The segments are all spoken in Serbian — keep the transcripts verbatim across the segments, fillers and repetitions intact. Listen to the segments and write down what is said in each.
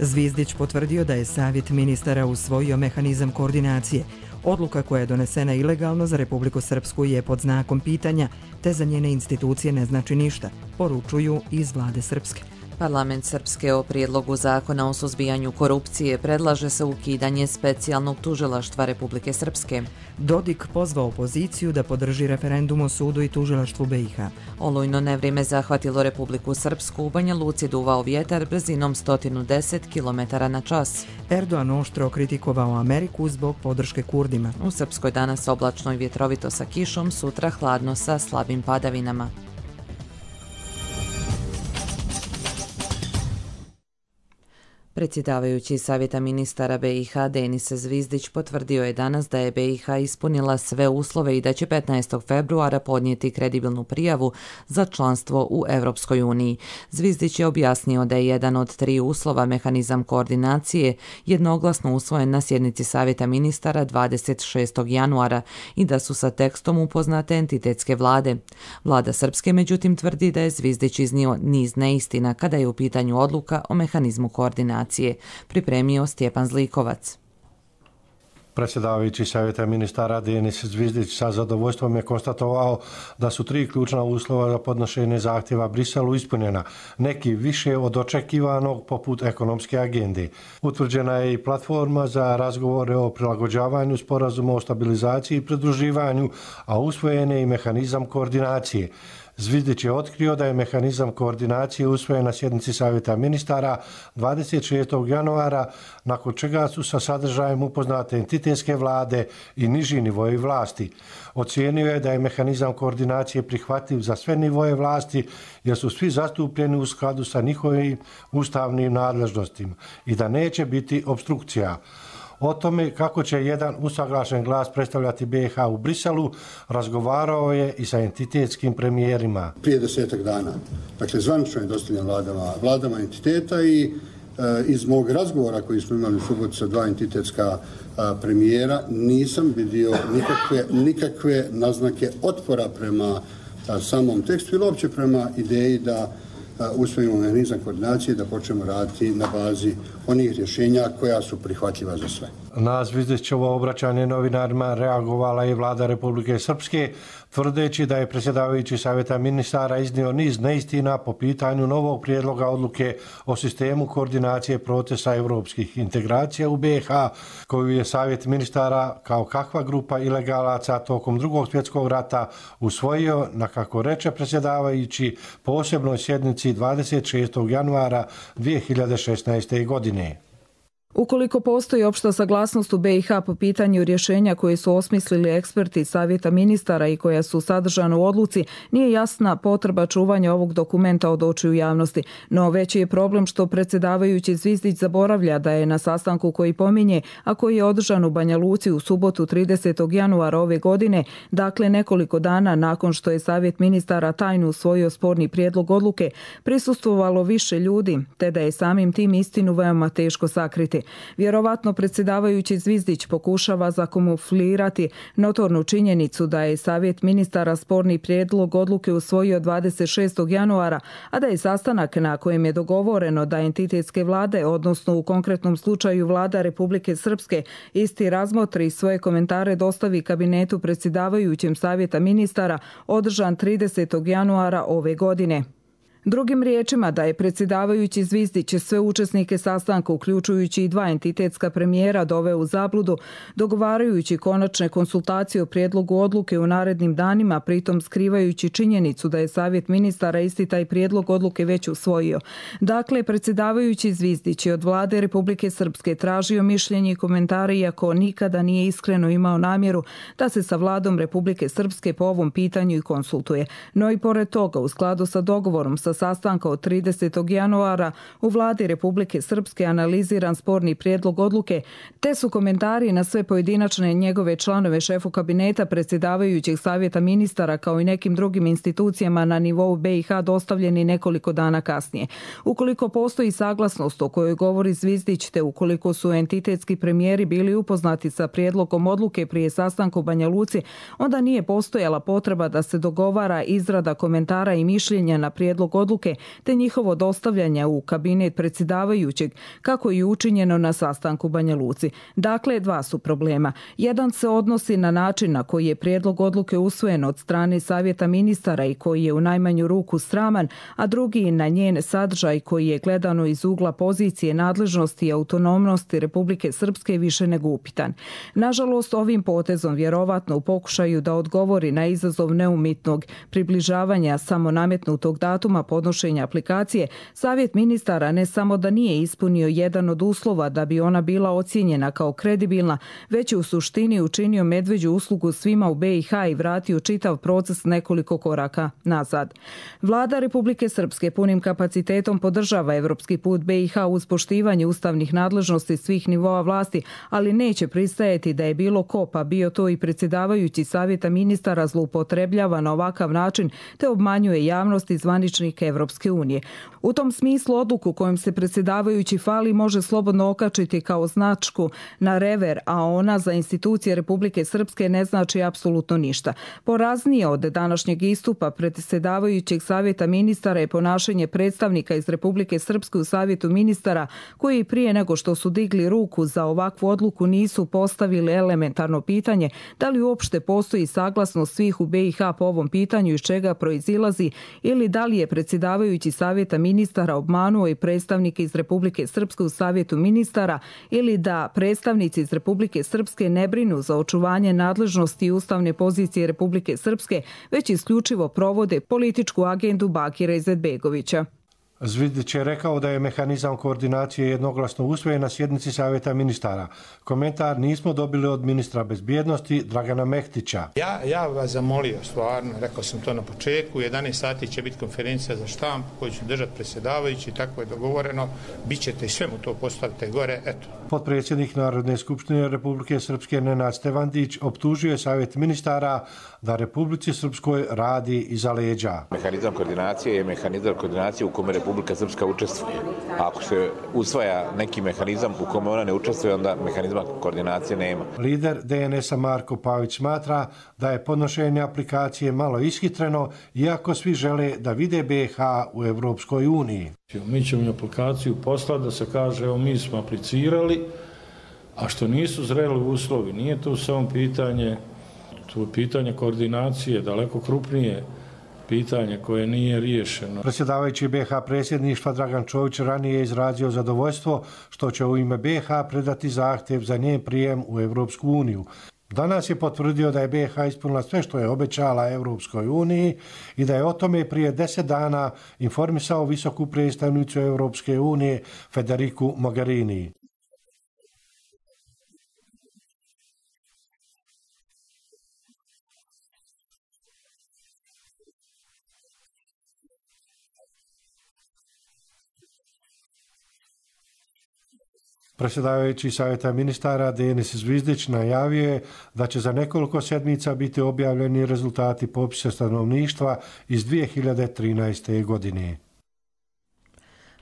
Zvizdić potvrdio da je Savjet ministara usvojio mehanizam koordinacije. Odluka koja je donesena ilegalno za Republiku Srpsku je pod znakom pitanja, te za njene institucije ne znači ništa, poručuju iz vlade Srpske. Parlament Srpske o prijedlogu zakona o suzbijanju korupcije predlaže se ukidanje specijalnog tužilaštva Republike Srpske. Dodik pozvao opoziciju da podrži referendum o sudu i tužilaštvu B i H. Olujno nevrijeme zahvatilo Republiku Srpsku, u Banja Luci duvao vjetar brzinom sto deset kilometara na čas. Erdogan oštro kritikovao Ameriku zbog podrške Kurdima. U Srpskoj danas oblačno i vjetrovito sa kišom, sutra hladno sa slabim padavinama. Predsjedavajući Savjeta ministara B i H Denis Zvizdić potvrdio je danas da je B i H ispunila sve uslove i da će petnaestog februara podnijeti kredibilnu prijavu za članstvo u Europskoj uniji. Zvizdić je objasnio da je jedan od tri uslova mehanizam koordinacije jednoglasno usvojen na sjednici Savjeta ministara dvadeset šestog januara i da su sa tekstom upoznate entitetske vlade. Vlada Srpske međutim tvrdi da je Zvizdić iznio niz neistina kada je u pitanju odluka o mehanizmu koordinacije. Pripremio Stjepan Zlikovac. Predsjedavajući Savjeta ministara Denis Zvizdić sa zadovoljstvom je konstatovao da su tri ključna uslova za podnošenje zahtjeva Briselu ispunjena, neki više od očekivanog poput ekonomske agende. Utvrđena je i platforma za razgovore o prilagođavanju sporazuma o stabilizaciji i pridruživanju, a usvojen je i mehanizam koordinacije. Zvizdić je otkrio da je mehanizam koordinacije usvojen na sjednici Savjeta ministara dvadeset šestog januara, nakon čega su sa sadržajem upoznate entitetske vlade i niži nivoji vlasti. Ocijenio je da je mehanizam koordinacije prihvatljiv za sve nivoje vlasti jer su svi zastupljeni u skladu sa njihovim ustavnim nadležnostima i da neće biti obstrukcija. O tome kako će jedan usaglašen glas predstavljati B i H u Briselu razgovarao je i sa entitetskim premijerima. Prije desetak dana, dakle zvanično je dostavljen vladama, vladama entiteta i e, iz mog razgovora koji smo imali u subotu sa dva entitetska a, premijera nisam vidio nikakve, nikakve naznake otpora prema a, samom tekstu ili uopće prema ideji da usvojimo mehanizam koordinacije da počnemo raditi na bazi onih rješenja koja su prihvatljiva za sve. Na Zvizdićevo obraćanje novinarima reagovala je vlada Republike Srpske, tvrdeći da je predsjedavajući Savjeta ministara iznio niz neistina po pitanju novog prijedloga odluke o sistemu koordinacije procesa europskih integracija u B i H, koju je Savjet ministara kao kakva grupa ilegalaca tokom drugog svjetskog rata usvojio na, kako reče predsjedavajući, posebnoj sjednici dvadeset šestog januara dvije hiljade šesnaeste. godine. Ukoliko postoji opšta saglasnost u B i H po pitanju rješenja koje su osmislili eksperti Savjeta ministara i koja su sadržana u odluci, nije jasna potreba čuvanja ovog dokumenta od očiju javnosti. No veći je problem što predsjedavajući Zvizdić zaboravlja da je na sastanku koji pominje, a koji je održan u Banja Luci u subotu tridesetog januara ove godine, dakle nekoliko dana nakon što je Savjet ministara tajno usvojio sporni prijedlog odluke, prisustvovalo više ljudi, te da je samim tim istinu veoma teško sakriti. Vjerovatno predsjedavajući Zvizdić pokušava zakamuflirati notornu činjenicu da je Savjet ministara sporni prijedlog odluke usvojio dvadeset šestog januara, a da je sastanak na kojem je dogovoreno da entitetske vlade, odnosno u konkretnom slučaju vlada Republike Srpske, isti razmotri svoje komentare dostavi kabinetu predsjedavajućem Savjeta ministara, održan tridesetog januara ove godine. Drugim riječima, da je predsjedavajući Zvizdić sve učesnike sastanka, uključujući i dva entitetska premijera, doveo u zabludu, dogovarajući konačne konsultacije o prijedlogu odluke u narednim danima, pritom skrivajući činjenicu da je Savjet ministara isti taj prijedlog odluke već usvojio. Dakle, predsjedavajući Zvizdić je od vlade Republike Srpske tražio mišljenje i komentare, iako nikada nije iskreno imao namjeru da se sa vladom Republike Srpske po ovom pitanju i konsultuje. No i pored toga, u skladu sa dogovorom sa sastanka od tridesetog januara u vladi Republike Srpske analiziran sporni prijedlog odluke, te su komentari na sve pojedinačne njegove članove šefu kabineta predsjedavajućeg Savjeta ministara kao i nekim drugim institucijama na nivou B i H dostavljeni nekoliko dana kasnije. Ukoliko postoji saglasnost o kojoj govori Zvizdić, te ukoliko su entitetski premijeri bili upoznati sa prijedlogom odluke prije sastanka u Banja Luci, onda nije postojala potreba da se dogovara izrada komentara i mišljenja na prijedlog odluke odluke te njihovo dostavljanje u kabinet predsjedavajućeg, kako je učinjeno na sastanku u Banja Luci. Dakle, dva su problema. Jedan se odnosi na način na koji je prijedlog odluke usvojen od strane Savjeta ministara i koji je u najmanju ruku sraman, a drugi na njen sadržaj koji je gledano iz ugla pozicije nadležnosti i autonomnosti Republike Srpske više nego upitan. Nažalost, ovim potezom vjerovatno u pokušaju da odgovori na izazov neumitnog približavanja samo nametnutog datuma podnošenja aplikacije, Savjet ministara ne samo da nije ispunio jedan od uslova da bi ona bila ocijenjena kao kredibilna, već je u suštini učinio medveđu uslugu svima u be i ha i vratio čitav proces nekoliko koraka nazad. Vlada Republike Srpske punim kapacitetom podržava evropski put be i ha uz poštivanje ustavnih nadležnosti svih nivoa vlasti, ali neće pristajati da je bilo ko, pa bio to i predsjedavajući Savjeta ministara, zloupotrebljava na ovakav način te obmanjuje javnost i zvaničnike Evropske unije. U tom smislu odluku kojom se predsjedavajući fali može slobodno okačiti kao značku na rever, a ona za institucije Republike Srpske ne znači apsolutno ništa. Poraznije od današnjeg istupa predsjedavajućeg Savjeta ministara je ponašanje predstavnika iz Republike Srpske u Savjetu ministara koji prije nego što su digli ruku za ovakvu odluku nisu postavili elementarno pitanje da li uopšte postoji saglasnost svih u be i ha po ovom pitanju iz čega proizilazi ili da li je predsjedavajući Savjeta ministara obmanuo i predstavnike iz Republike Srpske u Savjetu ministara ili da predstavnici iz Republike Srpske ne brinu za očuvanje nadležnosti i ustavne pozicije Republike Srpske, već isključivo provode političku agendu Bakira Izetbegovića. Zvizdić je rekao da je mehanizam koordinacije jednoglasno usvojen na sjednici Savjeta ministara. Komentar nismo dobili od ministra bezbjednosti Dragana Mehtića. Ja, ja vas zamolio stvarno, rekao sam to na početku, u jedanaest sati će biti konferencija za štampu koju će držati predsjedavajući, tako je dogovoreno, bit ćete i sve mu to postavite gore, eto. Potpredsjednik Narodne skupštine Republike Srpske Nenad Stevandić optužio je Savjet ministara da Republici Srpskoj radi iza leđa. Mehanizam koordinacije je mehanizam koordinacije u kome Republika Srpska učestvuje. A ako se usvaja neki mehanizam u kome ona ne učestvuje, onda mehanizma koordinacije nema. Lider de en es a Marko Pavić smatra da je podnošenje aplikacije malo ishitreno, iako svi žele da vide be i ha u Evropskoj uniji. Mi ćemo aplikaciju poslati da se kaže evo mi smo aplicirali, a što nisu zreli uslovi, nije to samo pitanje, to je pitanje koordinacije, daleko krupnije pitanje koje nije riješeno. Predsjedavajući be i ha predsjedništva Dragan Čović ranije je izrazio zadovoljstvo što će u ime be i ha predati zahtjev za njen prijem u Evropsku uniju. Danas je potvrdio da je be i ha ispunila sve što je obećala Evropskoj uniji i da je o tome prije deset dana informisao visoku predstavnicu Evropske unije Federiku Mogherini. Predsjedavajući Savjeta ministara Denis Zvizdić najavio je da će za nekoliko sedmica biti objavljeni rezultati popisa stanovništva iz dvije hiljade trinaeste. godine.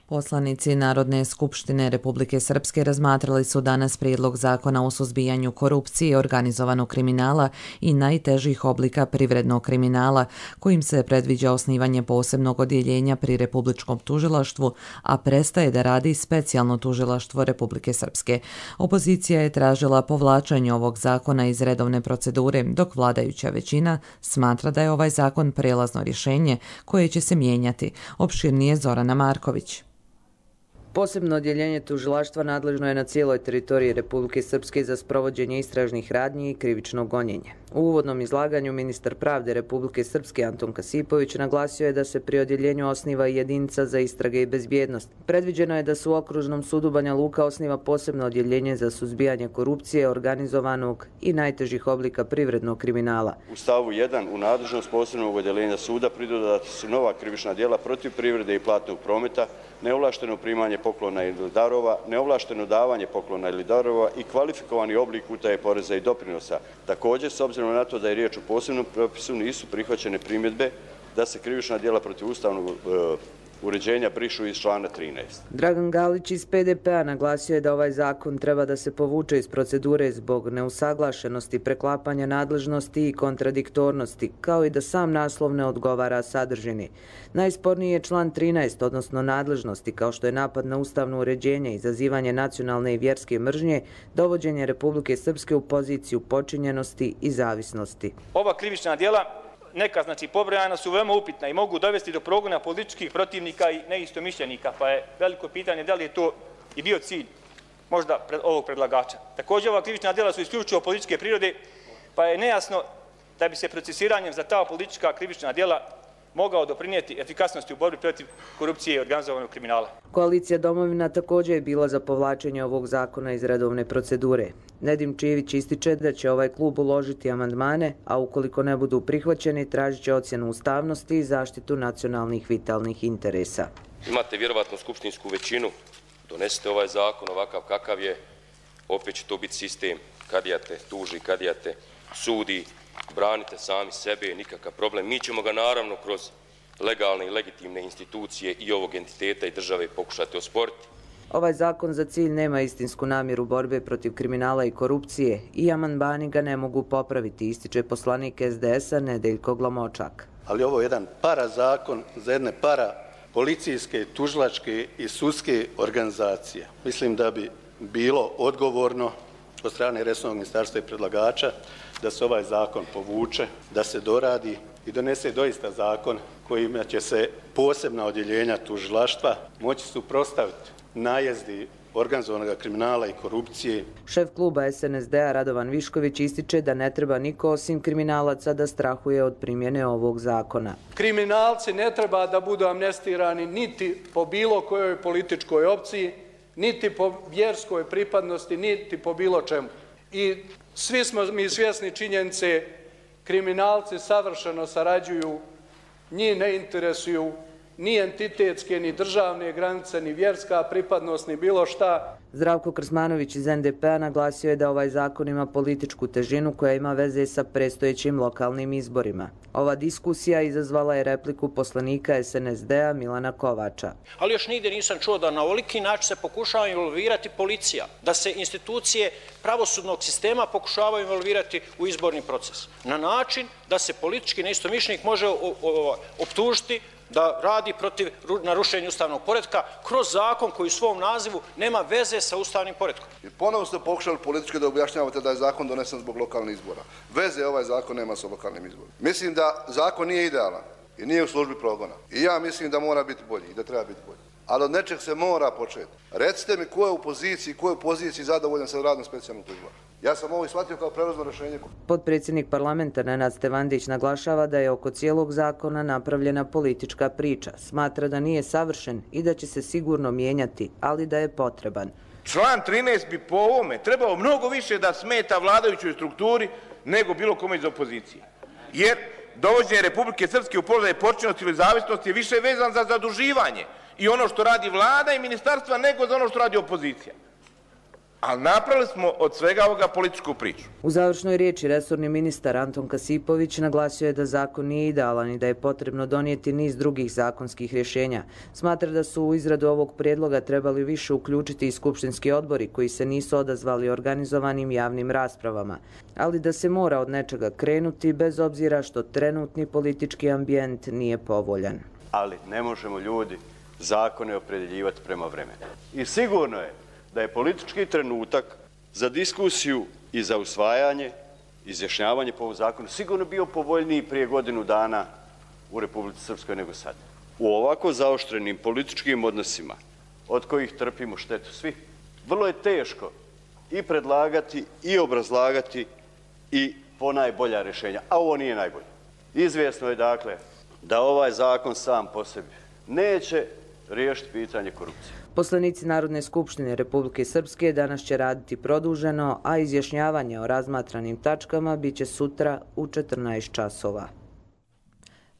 Poslanici Narodne skupštine Republike Srpske razmatrali su danas prijedlog zakona o suzbijanju korupcije, organizovanog kriminala i najtežih oblika privrednog kriminala, kojim se predviđa osnivanje posebnog odjeljenja pri Republičkom tužilaštvu, a prestaje da radi specijalno tužilaštvo Republike Srpske. Opozicija je tražila povlačenje ovog zakona iz redovne procedure, dok vladajuća većina smatra da je ovaj zakon prelazno rješenje koje će se mijenjati. Opširnije Zorana Marković. Posebno odjeljenje tužilaštva nadležno je na cijeloj teritoriji Republike Srpske za sprovođenje istražnih radnji i krivično gonjenje. U uvodnom izlaganju ministar pravde Republike Srpske Anton Kasipović naglasio je da se pri odjeljenju osniva i jedinica za istrage i bezbjednost. Predviđeno je da se u Okružnom sudu Banja Luka osniva posebno odjeljenje za suzbijanje korupcije, organizovanog i najtežih oblika privrednog kriminala. U stavu jedan u nadležnost posebnog odjeljenja suda pridodata su nova krivična djela protiv privrede i platnog prometa, neovlašteno primanje poklona ili darova, neovlašteno davanje poklona ili darova i kvalifikovani oblik utaje poreza i doprinosa. Također, s obzirom na to da je riječ o posebnom propisu, nisu prihvaćene primjedbe da se krivična djela protiv ustavnog uređenja brišu iz člana trinaest. Dragan Galić iz P D P-a naglasio je da ovaj zakon treba da se povuče iz procedure zbog neusaglašenosti, preklapanja nadležnosti i kontradiktornosti, kao i da sam naslov ne odgovara sadržini. Najsporniji je član trinaest, odnosno nadležnosti, kao što je napad na ustavno uređenje, izazivanje nacionalne i vjerske mržnje, dovođenje Republike Srpske u poziciju počinjenosti i zavisnosti. Ova krivična djela, neka znači pobrojana, su veoma upitna i mogu dovesti do progona političkih protivnika i neistomišljenika, pa je veliko pitanje da li je to i bio cilj možda ovog predlagača. Također, ova krivična djela su isključivo političke prirode, pa je nejasno da bi se procesiranjem za ta politička krivična djela mogao doprinijeti efikasnosti u borbi protiv korupcije i organizovanog kriminala. Koalicija Domovina također je bila za povlačenje ovog zakona iz redovne procedure. Nedim Čivić ističe da će ovaj klub uložiti amandmane, a ukoliko ne budu prihvaćeni, tražit će ocjenu ustavnosti i zaštitu nacionalnih vitalnih interesa. Imate vjerovatno skupštinsku većinu, donesite ovaj zakon ovakav kakav je, opet će to biti sistem, kadija te tuži, kadija te sudi, branite sami sebe, nikakav problem. Mi ćemo ga naravno kroz legalne i legitimne institucije i ovog entiteta i države pokušati osporiti. Ovaj zakon za cilj nema istinsku namjeru borbe protiv kriminala i korupcije i amandmani ga ne mogu popraviti, ističe poslanik S D S-a Nedeljko Glomočak. Ali ovo je jedan parazakon za jedne para policijske, tužilačke i sudske organizacije. Mislim da bi bilo odgovorno od strane resornog ministarstva i predlagača da se ovaj zakon povuče, da se doradi i donese doista zakon kojima će se posebna odjeljenja tužilaštva moći suprotstaviti najezdi organizovanog kriminala i korupcije. Šef kluba S N S D-a Radovan Višković ističe da ne treba niko osim kriminalaca da strahuje od primjene ovog zakona. Kriminalci ne treba da budu amnestirani niti po bilo kojoj političkoj opciji, niti po vjerskoj pripadnosti, niti po bilo čemu. I svi smo mi svjesni činjenice, kriminalci savršeno sarađuju, njih ne interesuju ni entitetske, ni državne granice, ni vjerska pripadnost, ni bilo šta. Zdravko Krsmanović iz N D P-a naglasio je da ovaj zakon ima političku težinu koja ima veze sa predstojećim lokalnim izborima. Ova diskusija izazvala je repliku poslanika S N S D-a Milana Kovača. Ali još nigdje nisam čuo da na ovoliki način se pokušava involvirati policija, da se institucije pravosudnog sistema pokušavaju involvirati u izborni proces. Na način da se politički neistomišljenik može optužiti da radi protiv narušenja ustavnog poretka kroz zakon koji u svom nazivu nema veze sa ustavnim poretkom. I ponovno ste pokušali politički da objašnjavate da je zakon donesen zbog lokalnih izbora. Veze ovaj zakon nema sa lokalnim izborima. Mislim da zakon nije idealan i nije u službi progona. I ja mislim da mora biti bolji i da treba biti bolji. Ali od nečeg se mora početi. Recite mi ko je u poziciji, ko je u poziciji zadovoljan sa radom specijalnog tužilaštva. Ja sam ovo shvatio kao prelazno rješenje. Potpredsjednik parlamenta Nenad Stevandić naglašava da je oko cijelog zakona napravljena politička priča. Smatra da nije savršen i da će se sigurno mijenjati, ali da je potreban. Član trinaest bi po ovome trebao mnogo više da smeta vladajućoj strukturi nego bilo kome iz opozicije. Jer dovođenje Republike Srpske u položaj počinjenosti ili zavisnosti je više vezan za zaduživanje i ono što radi vlada i ministarstva nego za ono što radi opozicija. Ali napravili smo od svega ovoga političku priču. U završnoj riječi resorni ministar Anton Kasipović naglasio je da zakon nije idealan i da je potrebno donijeti niz drugih zakonskih rješenja. Smatra da su u izradu ovog prijedloga trebali više uključiti i skupštinski odbori koji se nisu odazvali organizovanim javnim raspravama, ali da se mora od nečega krenuti bez obzira što trenutni politički ambijent nije povoljan. Ali ne možemo ljudi zakone opredjeljivati prema vremenu. I sigurno je da je politički trenutak za diskusiju i za usvajanje, izjašnjavanje po ovom zakonu sigurno bio povoljniji prije godinu dana u Republici Srpskoj nego sad. U ovako zaoštrenim političkim odnosima, od kojih trpimo štetu svi, vrlo je teško i predlagati i obrazlagati i ponajbolja rješenja, a ovo nije najbolje. Izvjesno je dakle da ovaj zakon sam po sebi neće riješiti pitanje korupcije. Poslanici Narodne skupštine Republike Srpske danas će raditi produženo, a izjašnjavanje o razmatranim tačkama biće sutra u četrnaest časova.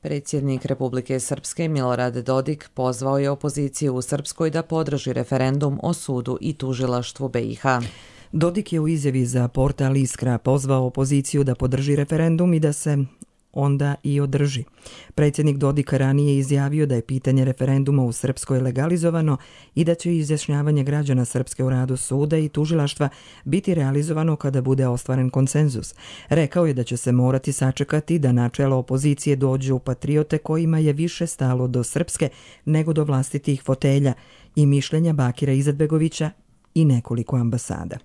Predsjednik Republike Srpske Milorad Dodik pozvao je opoziciju u Srpskoj da podrži referendum o sudu i tužilaštvu B i H. Dodik je u izjavi za portal Iskra pozvao opoziciju da podrži referendum i da se onda i održi. Predsjednik Dodik ranije izjavio da je pitanje referenduma u Srpskoj legalizovano i da će izjašnjavanje građana Srpske u radu suda i tužilaštva biti realizovano kada bude ostvaren konsenzus. Rekao je da će se morati sačekati da na čelo opozicije dođu patriote kojima je više stalo do Srpske nego do vlastitih fotelja i mišljenja Bakira Izetbegovića i nekoliko ambasada.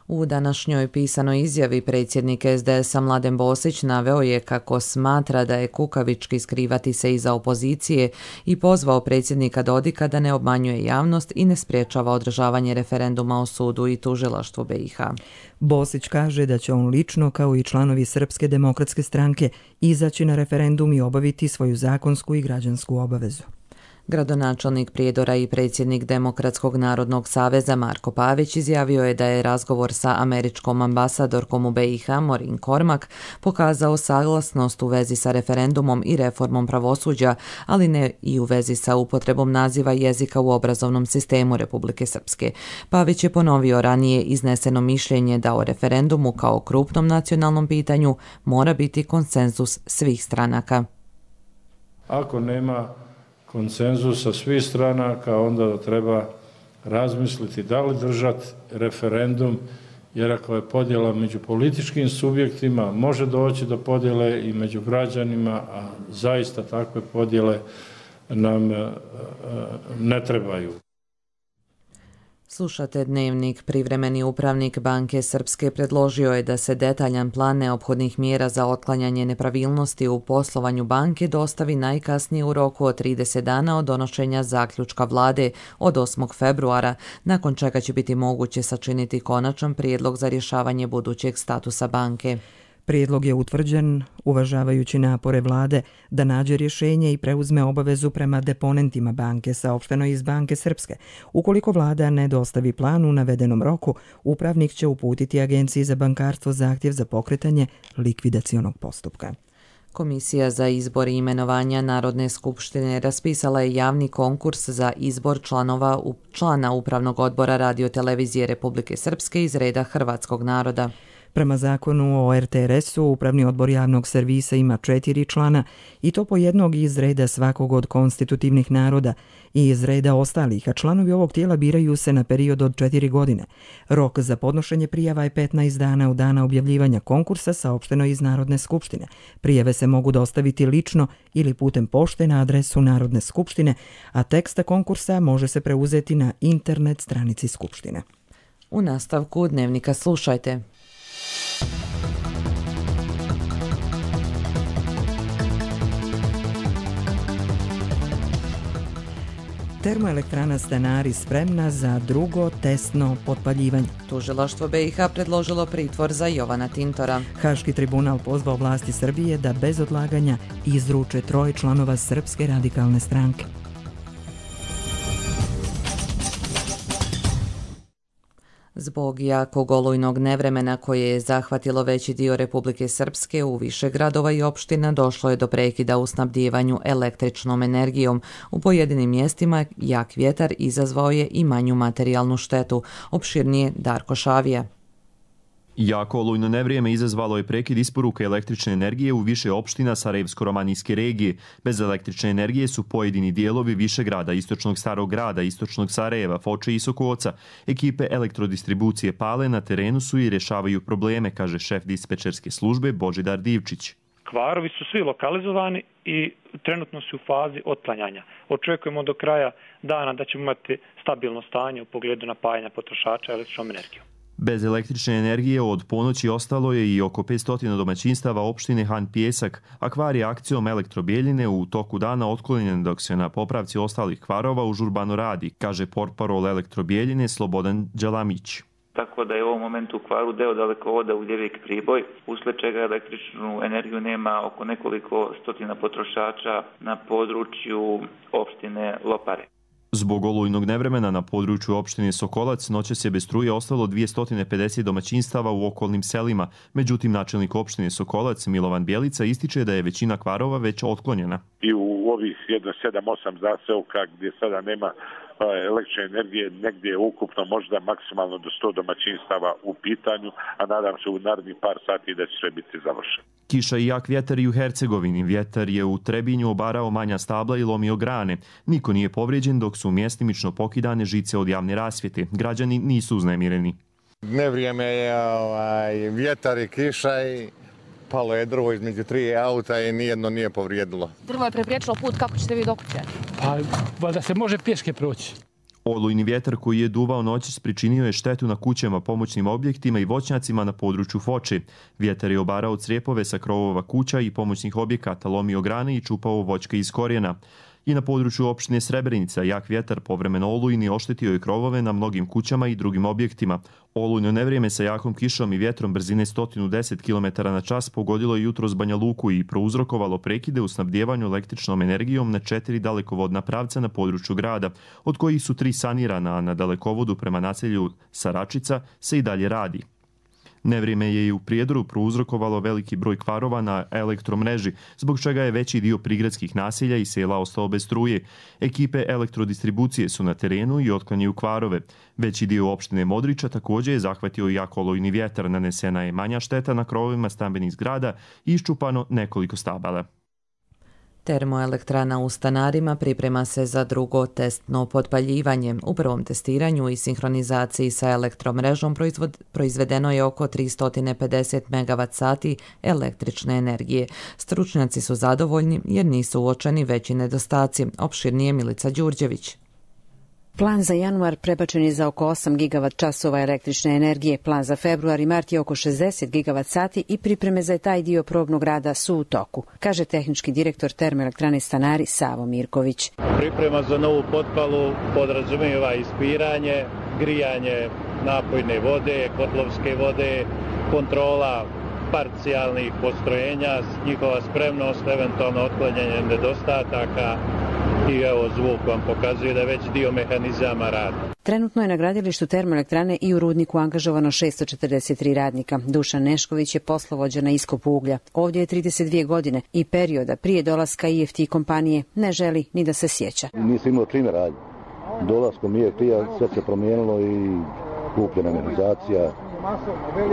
U današnjoj pisanoj izjavi predsjednik es de es-a Mladen Bosić naveo je kako smatra da je kukavički skrivati se iza opozicije i pozvao predsjednika Dodika da ne obmanjuje javnost i ne spriječava održavanje referenduma o sudu i tužilaštvu be i ha. Bosić kaže da će on lično, kao i članovi Srpske demokratske stranke, izaći na referendum i obaviti svoju zakonsku i građansku obavezu. Gradonačelnik Prijedora i predsjednik Demokratskog narodnog saveza Marko Pavić izjavio je da je razgovor sa američkom ambasadorkom u be i ha Maureen Cormack pokazao saglasnost u vezi sa referendumom i reformom pravosuđa, ali ne i u vezi sa upotrebom naziva jezika u obrazovnom sistemu Republike Srpske. Pavić je ponovio ranije izneseno mišljenje da o referendumu kao krupnom nacionalnom pitanju mora biti konsenzus svih stranaka. Ako nema konsenzusa svih stranaka, onda treba razmisliti da li držati referendum, jer ako je podjela među političkim subjektima, može doći do podjele i među građanima, a zaista takve podjele nam ne trebaju. Slušate Dnevnik. Privremeni upravnik Banke Srpske predložio je da se detaljan plan neophodnih mjera za otklanjanje nepravilnosti u poslovanju banke dostavi najkasnije u roku od trideset dana od donošenja zaključka vlade od osmog februara, nakon čega će biti moguće sačiniti konačan prijedlog za rješavanje budućeg statusa banke. Prijedlog je utvrđen uvažavajući napore vlade da nađe rješenje i preuzme obavezu prema deponentima banke, saopšteno iz Banke Srpske. Ukoliko vlada ne dostavi plan u navedenom roku, upravnik će uputiti Agenciji za bankarstvo zahtjev za pokretanje likvidacionog postupka. Komisija za izbor i imenovanja Narodne skupštine raspisala je javni konkurs za izbor članova člana Upravnog odbora Radio-televizije Republike Srpske iz reda hrvatskog naroda. Prema zakonu o er te er esu, Upravni odbor javnog servisa ima četiri člana i to po jednog iz reda svakog od konstitutivnih naroda i iz reda ostalih, a članovi ovog tijela biraju se na period od četiri godine. Rok za podnošenje prijava je petnaest dana u dana objavljivanja konkursa, saopšteno iz Narodne skupštine. Prijave se mogu dostaviti lično ili putem pošte na adresu Narodne skupštine, a teksta konkursa može se preuzeti na internet stranici Skupštine. U nastavku Dnevnika slušajte. Termoelektrana Stanari spremna za drugo testno potpaljivanje. Tužilaštvo be i ha predložilo pritvor za Jovana Tintora. Haški tribunal pozvao vlasti Srbije da bez odlaganja izruče troje članova Srpske radikalne stranke. Zbog jakog olujnog nevremena koje je zahvatilo veći dio Republike Srpske, u više gradova i opština došlo je do prekida u snabdijevanju električnom energijom. U pojedinim mjestima jak vjetar izazvao je i manju materijalnu štetu. Opširnije Darko Šavija. Jako olujno nevrijeme izazvalo je prekid isporuke električne energije u više opština Sarajevsko-romanijske regije. Bez električne energije su pojedini dijelovi Višegrada, Istočnog Starog grada, Istočnog Sarajeva, Foče i Sokoca. Ekipe elektrodistribucije Pale na terenu su i rješavaju probleme, kaže šef dispečerske službe Božidar Divčić. Kvarovi su svi lokalizovani i trenutno su u fazi otklanjanja. Očekujemo do kraja dana da ćemo imati stabilno stanje u pogledu napajanja potrošača električnom energijom. Bez električne energije od ponoći ostalo je i oko petsto domaćinstava opštine Han Pijesak, a kvar je akcijom Elektrobijeljine u toku dana otklonjen dok se na popravci ostalih kvarova užurbano radi, kaže portparol Elektrobijeljine Slobodan Đalamić. Tako da je u ovom momentu u kvaru deo dalekovoda Ugljevik Priboj, usled čega električnu energiju nema oko nekoliko stotina potrošača na području opštine Lopare. Zbog olujnog nevremena na području opštine Sokolac noćas je bez struje ostalo dvjesto pedeset domaćinstava u okolnim selima. Međutim, načelnik opštine Sokolac Milovan Bjelica ističe da je većina kvarova već otklonjena. I u ovih jedno sedam osam zaseoka gdje sada nema električne energije, negdje je ukupno možda maksimalno do sto domaćinstava u pitanju, a nadam se u narednih par sati da će sve biti završeno. Kiša i jak vjetar i u Hercegovini. Vjetar je u Trebinju obarao manja stabla i lomio grane. Niko nije povrijeđen dok su mjestimično pokidane žice od javne rasvjete. Građani nisu uznemireni. Nevrijeme je ovaj, vjetar i kiša i palo je drvo između tri auta i nijedno nije povrijedilo. Drvo je prepriječilo put, kako ćete vi do kuće? Pa da se može pješke proći. Olujni vjetar koji je duvao noćas pričinio je štetu na kućama, pomoćnim objektima i voćnjacima na području Foče. Vjetar je obarao crijepove sa krovova kuća i pomoćnih objekata, lomio grane i čupao voćke iz korijena. I na području opštine Srebrenica jak vjetar povremeno olujni oštetio je krovove na mnogim kućama i drugim objektima. Olujno nevrijeme sa jakom kišom i vjetrom brzine sto deset kilometara na čas pogodilo je jutros Banja Luku i prouzrokovalo prekide u snabdjevanju električnom energijom na četiri dalekovodna pravca na području grada, od kojih su tri sanirana, a na dalekovodu prema naselju Saračica se i dalje radi. Nevrijeme je i u Prijedoru prouzrokovalo veliki broj kvarova na elektromreži, zbog čega je veći dio prigradskih naselja i sela ostao bez struje. Ekipe elektrodistribucije su na terenu i otklanjaju kvarove. Veći dio opštine Modriča također je zahvatio jak olujni vjetar, nanesena je manja šteta na krovovima stambenih zgrada i iščupano nekoliko stabala. Termoelektrana u Stanarima priprema se za drugo testno potpaljivanje. U prvom testiranju i sinhronizaciji sa elektromrežom proizvedeno je oko tristo pedeset megavat sati električne energije. Stručnjaci su zadovoljni jer nisu uočeni veći nedostaci. Opširnije Milica Đurđević. Plan za januar prebačen je za oko osam gigavat časova električne energije. Plan za februar i mart je oko šezdeset gigavat sati i pripreme za taj dio probnog rada su u toku, kaže tehnički direktor termoelektrane Stanari Savo Mirković. Priprema za novu potpalu podrazumijeva ispiranje, grijanje napojne vode, kotlovske vode, kontrola parcijalnih postrojenja, njihova spremnost, eventualno otklanjanje nedostataka i evo zvuk vam pokazuje da već dio mehanizama radi. Trenutno je na gradilištu termoelektrane i u rudniku angažovano šesto četrdeset tri radnika. Dušan Nešković je poslovođa na iskopu uglja. Ovdje je trideset dvije godine i perioda prije dolaska I F T kompanije ne želi ni da se sjeća. Nisam imao čime raditi. Dolaskom I F T-a sve se promijenilo i kupljena mehanizacija,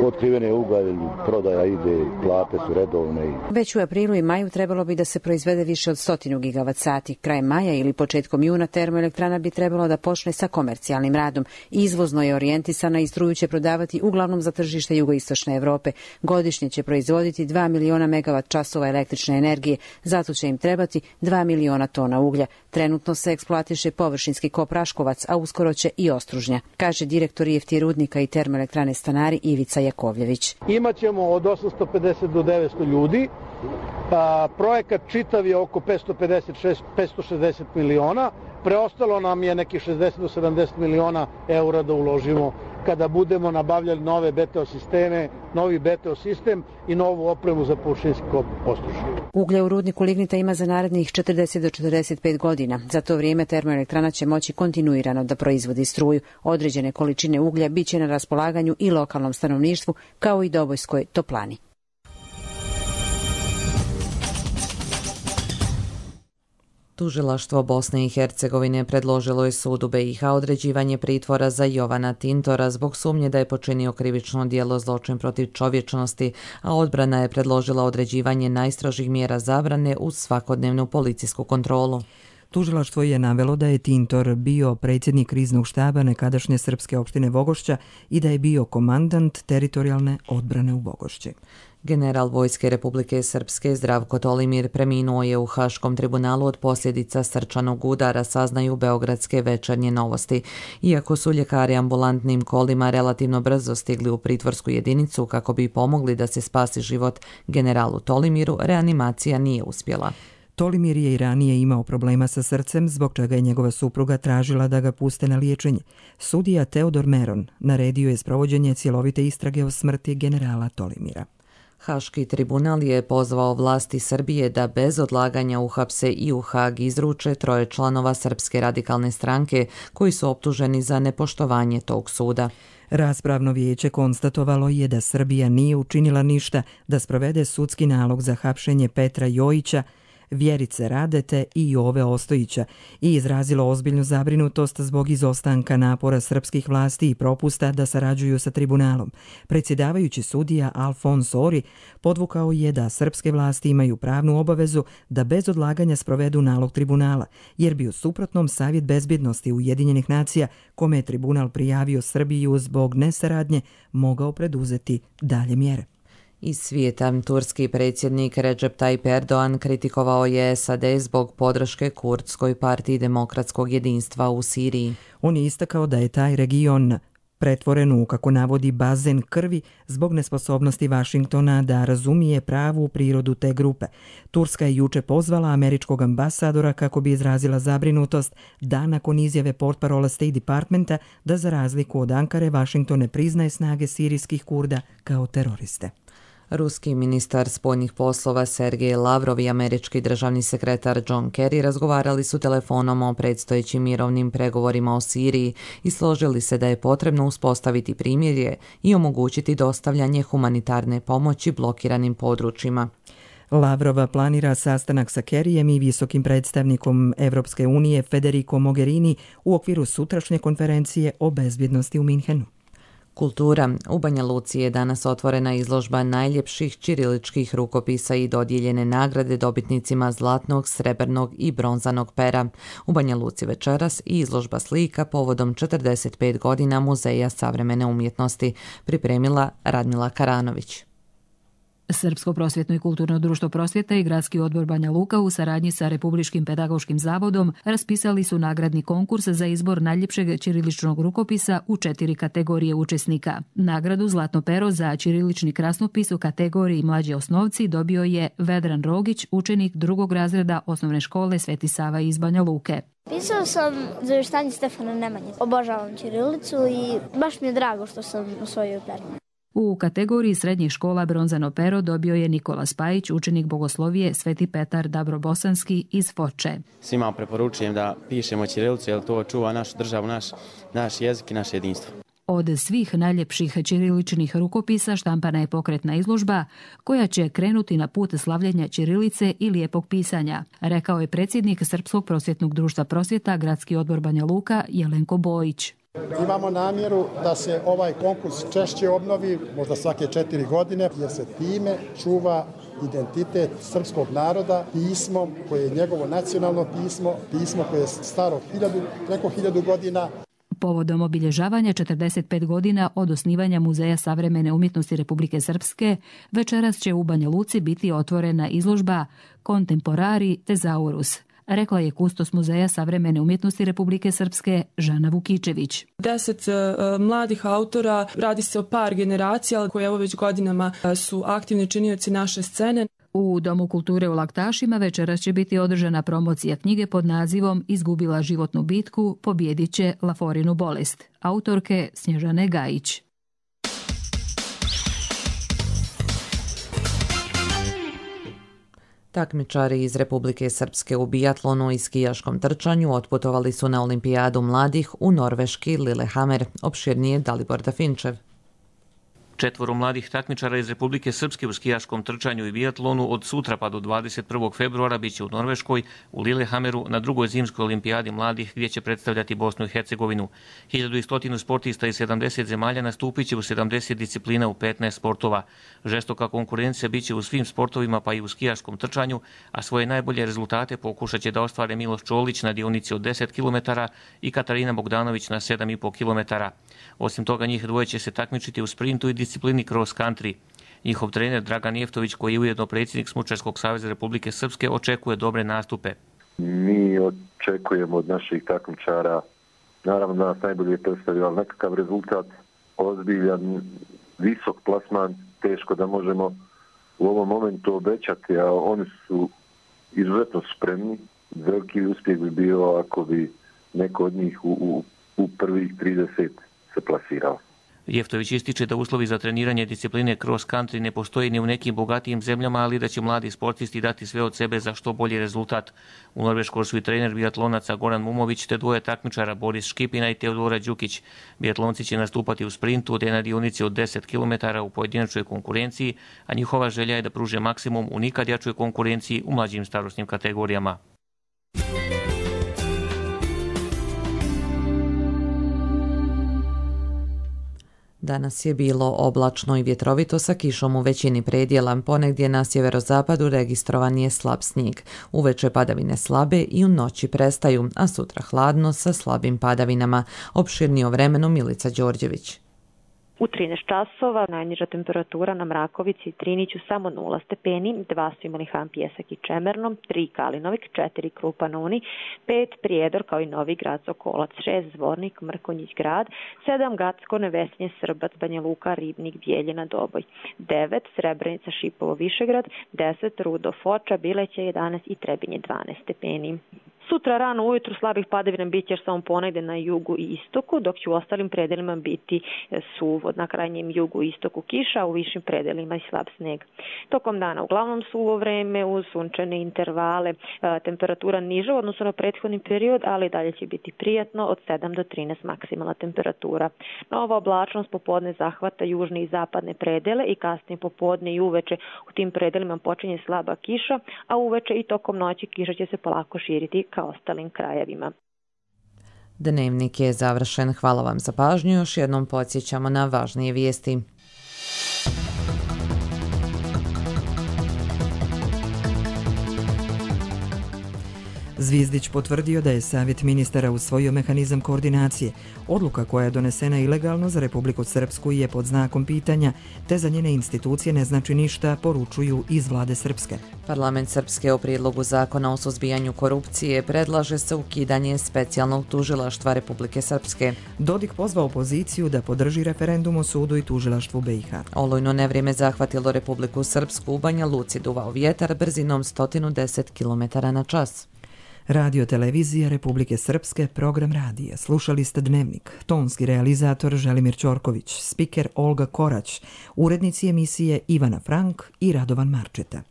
otkrivene ugalj, prodaja ide, plate su redovne. Već u aprilu i maju trebalo bi da se proizvede više od stotinu gigavat sati. Krajem maja ili početkom juna termoelektrana bi trebalo da počne sa komercijalnim radom. Izvozno je orijentisana i struju će prodavati uglavnom za tržište jugoistočne Evrope. Godišnje će proizvoditi dva miliona megavat časova električne energije, zato će im trebati dva miliona tona uglja. Trenutno se eksploatiše površinski kop Raškovac, a uskoro će i Ostružnja, kaže direktor I F T rudnika i termoelektrane Stanari Ivica Jakovljević. Imaćemo od osamsto pedeset do devetsto ljudi. A, projekat čitav je oko petsto pedeset šest do petsto šezdeset miliona. Preostalo nam je neki šezdeset do sedamdeset miliona eura da uložimo kada budemo nabavljali nove B T O sisteme, novi B T O sistem i novu opremu za površinski kop Ostružnja. Uglja u rudniku lignita ima za narednih četrdeset do četrdeset pet godina. Za to vrijeme termoelektrana će moći kontinuirano da proizvodi struju. Određene količine uglja biće na raspolaganju i lokalnom stanovništvu, kao i Dobojskoj toplani. Tužilaštvo Bosne i Hercegovine predložilo je sudu B i H određivanje pritvora za Jovana Tintora zbog sumnje da je počinio krivično djelo zločin protiv čovječnosti, a odbrana je predložila određivanje najstrožih mjera zabrane uz svakodnevnu policijsku kontrolu. Tužilaštvo je navelo da je Tintor bio predsjednik kriznog štaba nekadašnje srpske opštine Vogošća i da je bio komandant teritorijalne odbrane u Vogošći. General Vojske Republike Srpske Zdravko Tolimir preminuo je u Haškom tribunalu od posljedica srčanog udara, saznaju beogradske Večernje novosti. Iako su ljekari ambulantnim kolima relativno brzo stigli u pritvorsku jedinicu kako bi pomogli da se spasi život generalu Tolimiru, reanimacija nije uspjela. Tolimir je i ranije imao problema sa srcem, zbog čega je njegova supruga tražila da ga puste na liječenje. Sudija Teodor Meron naredio je sprovođenje cjelovite istrage o smrti generala Tolimira. Haški tribunal je pozvao vlasti Srbije da bez odlaganja uhapse i u Hag izruče troje članova Srpske radikalne stranke koji su optuženi za nepoštovanje tog suda. Raspravno vijeće konstatovalo je da Srbija nije učinila ništa da sprovede sudski nalog za hapšenje Petra Jojića, Vjerice Radete i Jove Ostojića i izrazilo ozbiljnu zabrinutost zbog izostanka napora srpskih vlasti i propusta da sarađuju sa tribunalom. Predsjedavajući sudija Alfons Ori podvukao je da srpske vlasti imaju pravnu obavezu da bez odlaganja sprovedu nalog tribunala, jer bi u suprotnom Savjet bezbjednosti Ujedinjenih nacija, kome je tribunal prijavio Srbiju zbog nesaradnje, mogao preduzeti dalje mjere. Iz svijeta, turski predsjednik Recep Tayyip Erdogan kritikovao je S A D zbog podrške Kurdskoj partiji demokratskog jedinstva u Siriji. On je istakao da je taj region pretvoren u, kako navodi, bazen krvi zbog nesposobnosti Vašingtona da razumije pravu prirodu te grupe. Turska je juče pozvala američkog ambasadora kako bi izrazila zabrinutost da nakon izjave portparola State Departmenta da za razliku od Ankare Vašington ne priznaje snage sirijskih Kurda kao teroriste. Ruski ministar spoljnih poslova Sergej Lavrov i američki državni sekretar John Kerry razgovarali su telefonom o predstojećim mirovnim pregovorima o Siriji i složili se da je potrebno uspostaviti primirje i omogućiti dostavljanje humanitarne pomoći blokiranim područjima. Lavrova planira sastanak sa Kerryjem i visokim predstavnikom Evropske unije Federico Mogherini u okviru sutrašnje konferencije o bezbjednosti u Minhenu. Kultura. U Banja Luci je danas otvorena izložba najljepših ćiriličkih rukopisa i dodijeljene nagrade dobitnicima zlatnog, srebrnog i bronzanog pera. U Banja Luci večeras i izložba slika povodom četrdeset pet godina Muzeja savremene umjetnosti, pripremila Radmila Karanović. Srpsko prosvjetno i kulturno društvo prosvjeta i Gradski odbor Banja Luka u saradnji sa Republičkim pedagoškim zavodom raspisali su nagradni konkurs za izbor najljepšeg ćiriličnog rukopisa u četiri kategorije učesnika. Nagradu Zlatno pero za ćirilični krasnopis u kategoriji mlađi osnovci dobio je Vedran Rogić, učenik drugog razreda osnovne škole Sveti Sava iz Banja Luke. Pisao sam Zavještanje Stefana Nemanje. Obožavam ćirilicu i baš mi je drago što sam osvojio pero. U kategoriji srednjih škola bronzano pero dobio je Nikola Spajić, učenik bogoslovije Sveti Petar Dabrobosanski iz Foče. Svima preporučujem da pišemo ćirilicu jer to čuva našu državu, naš, naš jezik i naše jedinstvo. Od svih najljepših ćiriličnih rukopisa štampana je pokretna izložba koja će krenuti na put slavljenja ćirilice i lijepog pisanja, rekao je predsjednik Srpskog prosvjetnog društva prosvjeta Gradski odbor Banja Luka Jelenko Bojić. Imamo namjeru da se ovaj konkurs češće obnovi, možda svake četiri godine, jer se time čuva identitet srpskog naroda pismom koje je njegovo nacionalno pismo, pismo koje je staro hiljadu, preko hiljadu godina. Povodom obilježavanja četrdeset pet godina od osnivanja Muzeja savremene umjetnosti Republike Srpske, večeras će u Banja Luci biti otvorena izložba Contemporari Thesaurus, rekla je kustos Muzeja savremene umjetnosti Republike Srpske Žana Vukičević. Deset uh, mladih autora, radi se o par generacija koje evo već godinama uh, su aktivni činioci naše scene. U Domu kulture u Laktašima večeras će biti održana promocija knjige pod nazivom Izgubila životnu bitku, pobjedit će Laforinu bolest, autorke Snježane Gajić. Takmičari iz Republike Srpske u bijatlonu i skijaškom trčanju otputovali su na olimpijadu mladih u norveški Lillehammer, opširnije Dalibor Dafinčev. Četvoro mladih takmičara iz Republike Srpske u skijaškom trčanju i bijatlonu od sutra pa do dvadeset prvog februara biće u Norveškoj, u Lillehammeru, na drugoj zimskoj olimpijadi mladih gdje će predstavljati Bosnu i Hercegovinu. hiljadu sto sportista iz sedamdeset zemalja nastupit će u sedamdeset disciplina u petnaest sportova. Žestoka konkurencija biće u svim sportovima pa i u skijaškom trčanju, a svoje najbolje rezultate pokušat će da ostvare Miloš Čolić na dionici od deset kilometara i Katarina Bogdanović na sedam i po kilometara. Osim toga, njih dvoje će se takmičiti u sprintu i disciplini cross country. Njihov trener Dragan Jeftović, koji je ujedno predsjednik Smučarskog saveza Republike Srpske, očekuje dobre nastupe. Mi očekujemo od naših takmičara, naravno da nas najbolje predstavlja nekakav rezultat, ozbiljan, visok plasman, teško da možemo u ovom momentu obećati, a oni su izuzetno spremni. Veliki uspjeh bi bio ako bi neko od njih u, u, u prvih trideset se plasirao. Jeftović ističe da uslovi za treniranje discipline cross country ne postoji ni u nekim bogatijim zemljama, ali da će mladi sportisti dati sve od sebe za što bolji rezultat. U Norveškoj su i trener biatlonaca Goran Mumović te dvoje takmičara Boris Škipina i Teodora Đukić. Biatlonci će nastupati u sprintu te na dionici od deset kilometara u pojedinačnoj konkurenciji, a njihova želja je da pruže maksimum u nikad jačoj konkurenciji u mlađim starosnim kategorijama. Danas je bilo oblačno i vjetrovito sa kišom u većini predjela, ponegdje na sjeverozapadu registrovan je slab snijeg. Uveče padavine slabe i u noći prestaju, a sutra hladno sa slabim padavinama. Opširnije o vremenu Milica Đorđević. U trinaest časova najniža temperatura na Mrakovici i Triniću samo nula stepeni, dva su imali Han Pjesak i Čemerno, tri Kalinovik, četiri Krupa na Uni, pet Prijedor kao i Novi Grad Sokolac, šest Zvornik, Mrkonjić Grad, sedam Gacko, Nevesinje, Srbac, Banja Luka, Ribnik, Bijeljina, Doboj, devet Srebrenica, Šipovo, Višegrad, deset Rudo, Foča, Bileća, jedanaest i Trebinje, dvanaest stepeni. Sutra rano ujutru slabih padavina biće još samo ponegde na jugu i istoku, dok će u ostalim predelima biti suvo. Na krajnjem jugu i istoku kiša, a u višim predelima i slab sneg. Tokom dana uglavnom suvo vreme uz sunčane intervale, temperatura niža u odnosu na prethodni period, ali dalje će biti prijatno od sedam do trinaest maksimalna temperatura. Nova oblačnost popodne zahvata južne i zapadne predele i kasnije popodne i uveče u tim predelima počinje slaba kiša, a uveče i tokom noći kiša će se polako širiti kao ostalim krajevima. Dnevnik je završen. Hvala vam za pažnju. Još jednom podsjećamo na važnije vijesti. Zvizdić potvrdio da je Savjet ministara usvojio mehanizam koordinacije. Odluka koja je donesena ilegalno za Republiku Srpsku je pod znakom pitanja, te za njene institucije ne znači ništa, poručuju iz vlade Srpske. Parlament Srpske o prijedlogu zakona o suzbijanju korupcije predlaže se ukidanje specijalnog tužilaštva Republike Srpske. Dodik pozvao opoziciju da podrži referendum o sudu i tužilaštvu B i H. Olujno nevrijeme zahvatilo Republiku Srpsku, u Banja Luci duvao vjetar brzinom sto deset kilometara na čas. Radio televizija Republike Srpske, program radija. Slušali ste Dnevnik. Tonski realizator Želimir Ćorković, spiker Olga Korać, urednici emisije Ivana Frank i Radovan Marčeta.